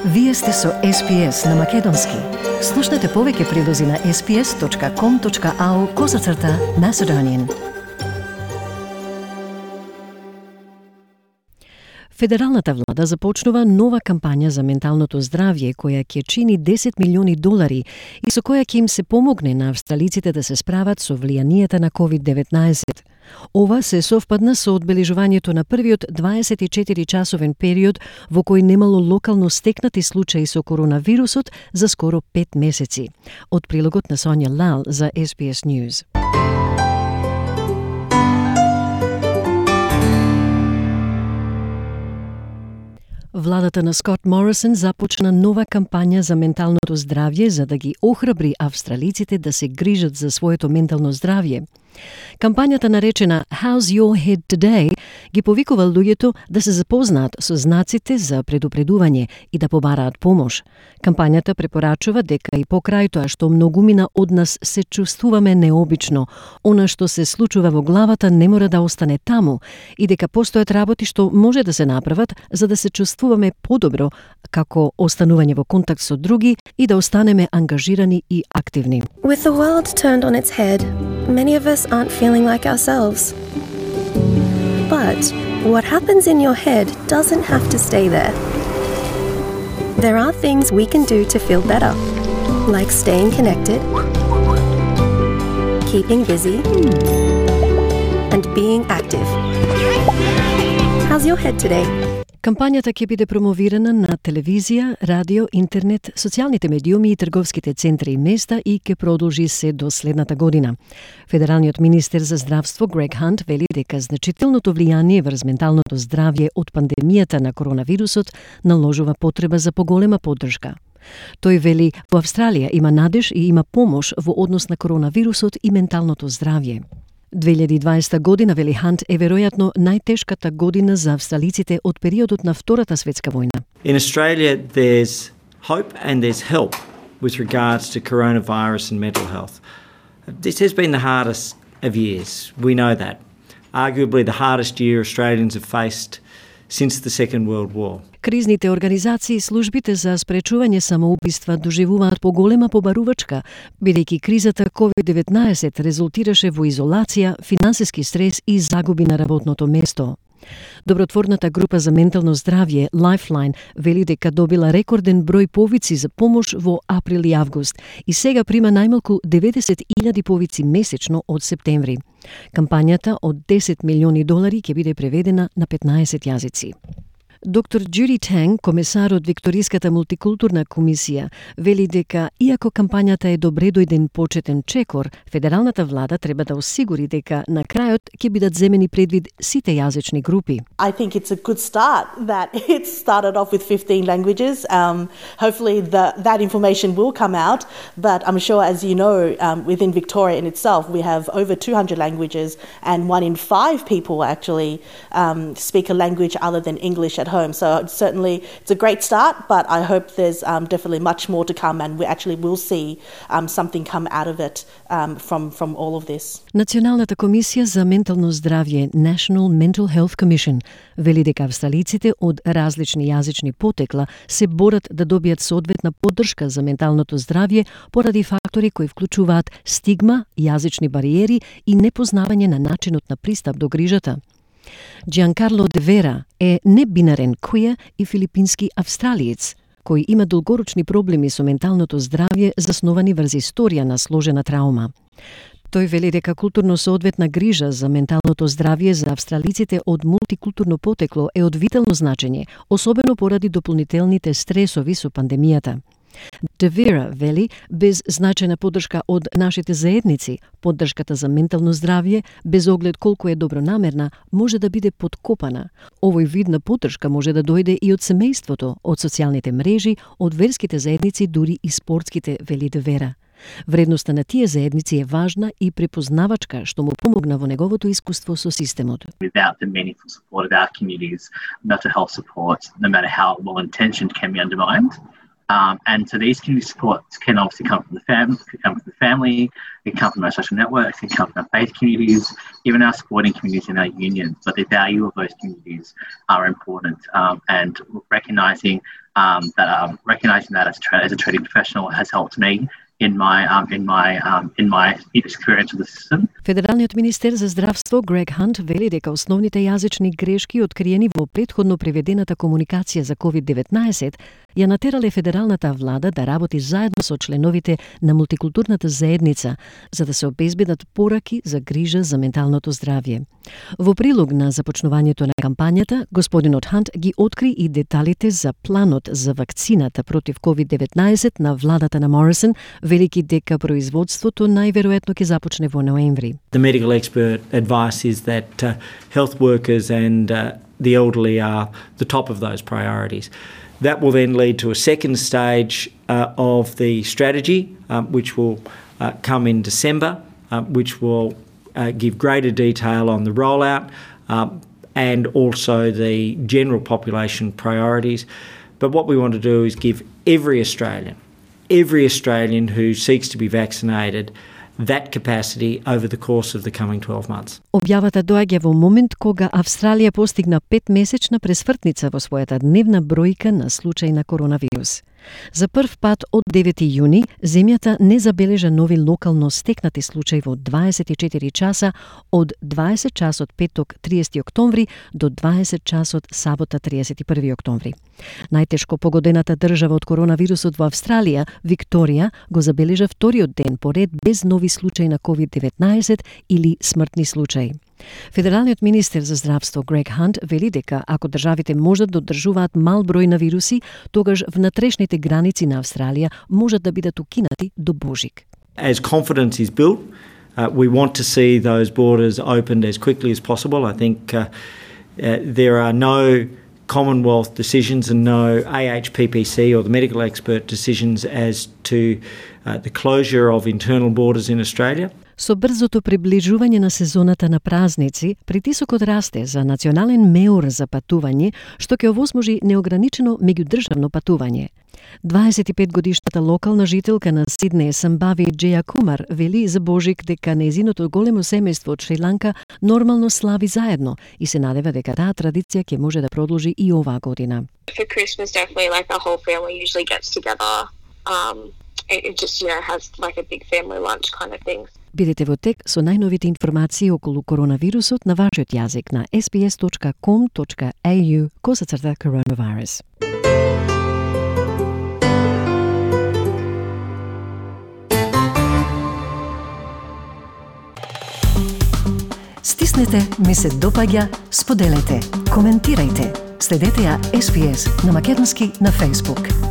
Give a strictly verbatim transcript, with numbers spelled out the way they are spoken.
Вие сте со Ес Би Ес на Македонски. Слушнете повеќе прилози на ес би ес точка ком точка ау козацрта Macedonian. Федералната влада започнува нова кампања за менталното здравје која ќе чини десет милиони долари и со која ќе им се помогне на австралиците да се справат со влијанието на ковид деветнаесет. Ова се совпадна со одбележувањето на првиот дваесет и четири часовен период во кој немало локално стекнати случаи со коронавирусот за скоро пет месеци. Од прилогот на Сонја Лал за Ес Би Ес News. Владата на Скот Морисон започна нова кампања за менталното здравје за да ги охрабри австралиците да се грижат за своето ментално здравје. Кампањата наречена How's Your Head Today ги повикува луѓето да се запознаат со знаците за предупредување и да побараат помош. Кампањата препорачува дека и покрај тоа што многумина од нас се чувствуваме необично, она што се случува во главата не мора да остане таму и дека постојат работи што може да се направат за да се чувствуваме подобро, како останување во контакт со други и да останеме ангажирани и активни. With the world turned on its head, many of us aren't feeling like ourselves. But what happens in your head doesn't have to stay there. There are things we can do to feel better, like staying connected, keeping busy, and being active. How's your head today? Кампањата ќе биде промовирана на телевизија, радио, интернет, социјалните медиуми и трговските центри и места и ќе продолжи се до следната година. Федералниот министер за здравство Грег Хант вели дека значителното влијание врз менталното здравје од пандемијата на коронавирусот наложува потреба за поголема поддршка. Тој вели во Австралија има надеж и има помош во однос на коронавирусот и менталното здравје. две илјади и дваесета година, вели Хант, е веројатно најтешката година за австралиците од периодот на Втората светска војна. In Australia, there's hope and there's help with regards to coronavirus and mental health. This has been the hardest of years. We know that. Arguably the hardest year Australians have faced since the Second World War. Кризните организации и службите за спречување самоубиства доживуваат поголема побарувачка, бидејќи кризата ковид деветнаесет резултираше во изолација, финансиски стрес и загуби на работното место. Добротворната група за ментално здравје Lifeline вели дека добила рекорден број повици за помош во април и август и сега прима најмалку деветдесет илјади повици месечно од септември. Кампањата од десет милиони долари ќе биде преведена на петнаесет јазици. Доктор Джуди Танг, комесар од Викториската мултикултурна комисија, вели дека иако кампањата е добре дојден почетен чекор, федералната влада треба да осигури дека на крајот ќе бидат земени предвид сите јазични групи. I think it's a good start that it started off with fifteen languages. Um, hopefully the, that information will come out, but I'm sure, as you know, um, within Victoria in itself, we have over two hundred languages and one in five people actually um, speak a language other than English at home. So certainly it's a great start, but I hope there's um, definitely much more to come and we actually will see um, something come out of it um, from, from all of this. Националната комисија за ментално здравје, National Mental Health Commission, вели дека австралиците од различни јазични потекла се борат да добијат соодветна поддршка за менталното здравје поради фактори кои вклучуваат стигма, јазични бариери и непознавање на начинот на пристап до грижата. Джианкарло де Вера е небинарен квир и филипински австралиец, кој има долгорочни проблеми со менталното здравје засновани врз историја на сложена траума. Тој вели дека културно соодветна грижа за менталното здравје за австралиците од мултикултурно потекло е од витално значење, особено поради дополнителните стресови со пандемијата. Девера вели, без значајна поддршка од нашите заедници, поддршката за ментално здравје, без оглед колку е добронамерна, може да биде подкопана. Овој вид на поддршка може да дојде и од семејството, од социјалните мрежи, од верските заедници, дури и спортските, вели Девера. Вредноста на тие заедници е важна и препознавачка, што му помогна во неговото искуство со системот. Without the meaningful support of our communities, mental health support, no matter how well-intentioned, can be undermined. Um, and so these community supports can obviously come from the family, can come from the family, it can come from our social networks, it can come from our faith communities, even our sporting communities and our unions. But the value of those communities are important, um, and recognising um, that um, recognising that as a, tra- as a treating professional has helped me in my um, in my um, in my experience with the system. Федералниот министер за здравство Грег Хант вели дека основните јазични грешки откриени во претходно приведената комуникација за ковид деветнаесет ја натерале федералната влада да работи заедно со членовите на мултикултурната заедница за да се обезбедат пораки за грижа за менталното здравје. Во прилог на започнувањето на кампањата, господинот Хант ги откри и деталите за планот за вакцината против ковид деветнаесет на владата на Морисон, велики дека производството најверојатно ќе започне во ноември. The medical expert advice is that uh, health workers and uh, the elderly are the top of those priorities. That will then lead to a second stage uh, of the strategy, um, which will uh, come in December, uh, which will uh, give greater detail on the rollout um, and also the general population priorities. But what we want to do is give every Australian, every Australian who seeks to be vaccinated that capacity over the course of the coming twelve months. Објавата доаѓа во момент кога Австралија постигна петмесечна пресвртница во својата дневна бројка на случаи на коронавирус. За прв пат од девети јуни, земјата не забележа нови локално стекнати случаи во дваесет и четири часа од дваесет часот петок триесети октомври до дваесет часот сабота триесет и први октомври. Најтешко погодената држава од коронавирусот во Австралија, Викторија, го забележа вториот ден поред без нови случаи на ковид деветнаесет или смртни случаи. Федералниот министер за здравство Грег Хант вели дека ако државите можат да одржуваат мал број на вируси, тогаш внатрешните граници на Австралија можат да бидат укинати до Божик. As confidence is built, uh, we want to see those borders opened as quickly as possible. I think uh, uh, there are no Commonwealth decisions and no A H P P C or the medical expert decisions as to uh, the closure of internal borders in Australia. Со брзото приближување на сезоната на празници, притисокот расте за национален меур за патување, што ќе овозможи неограничено меѓудржавно патување. дваесет и пет годишната локална жителка на Сиднеј Самбави Джеја Кумар вели за Божик дека нејзиното големо семејство од Шри-Ланка нормално слави заедно и се надева дека таа традиција ќе може да продолжи и оваа година. For Christmas, definitely, like the whole family usually gets together. Um, it just, you know, has like a big family lunch kind of thing. Бидете во тек со најновите информации околу коронавирусот на вашиот јазик на ес би ес точка ком точка ей ю косацрта coronavirus. Стиснете, ми се допаѓа, споделете, коментирајте. Следете ја Ес Би Ес на македонски на Facebook.